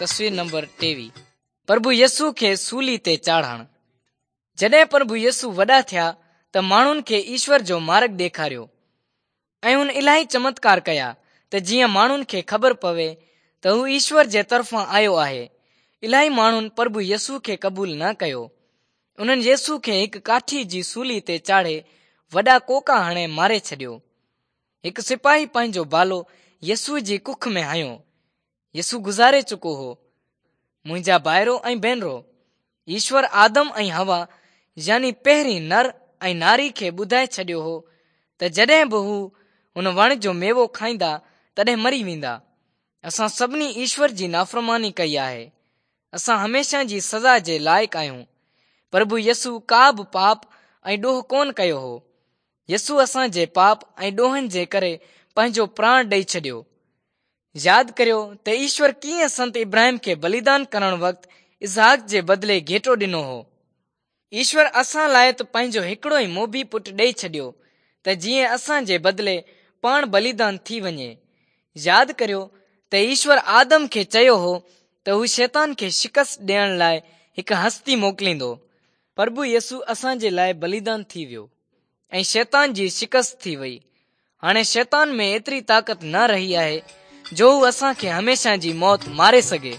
تصوير نمبر 23 پرڀو يسوع کي سولي تي چاڙهڻ. جڏهن پرڀو يسوع وڏا ٿيا ته ماڻهن کي ايشور جو مارڳ ڏيکاريو ۽ هن الاهي چمتڪار ڪيا ته جيئن ماڻهن کي خبر پوي ته هو ايشور جي طرفان آيو آهي. الاهي ماڻهن پرڀو يسوع کي قبول نه ڪيو. انهن يسوع کي هڪ ڪاٺي جي سولي تي چاڙهي وڏا ڪوڪا هڻي ماري ڇڏيو. هڪ سپاهي پنهنجو ڀالو يسوع جي ڪک ۾ هنيو. يسوع گذاري چڪو هو. منهنجا ڀائرو ۽ ڀينرو، ايشور آدم ۽ حوا يعني پهرين نر ۽ ناري کي ٻڌائي ڇڏيو هو ته جڏهن به هو هن وڻ جو ميوو کائيندا تڏهن مري ويندا. اسان سڀني ايشور جي نافرماني ڪئي آهي. اسان هميشه جي سزا جي لائق آهيون. پرڀو يسوع ڪا به پاپ ۽ ڏوهه ڪونه ڪيو هو. يسوع اسان جي پاپ ۽ ڏوهن جي ڪري پنهنجو پراڻ ڏئي ڇڏيو. ياد ڪريو ته ايشور ڪيئن سنت ابراهيم کي بليدان ڪرڻ وقت اسحاق جي بدلي گهيٽو ڏنو هو. ايشور اسان لاء ته پنهنجو هڪڙو ئي موڀي پٽ ڏئي ڇڏيو ته جيئن اسان جي بدلي پاڻ بليدان ٿي وڃي. ياد ڪريو ته ايشور آدم کي چيو هو ته هو شيطان کي شڪست ڏيڻ لاء هڪ هستي موڪليندو. پرڀو يسوع اسان جي لاء بليدان ٿي ويو. ۽ شيطان جي شڪست ٿي وئي. هاڻي شيطان ۾ ايتري طاقت نه رهي آهي جو هو اسان کي هميشه جي موت ماري سگهي.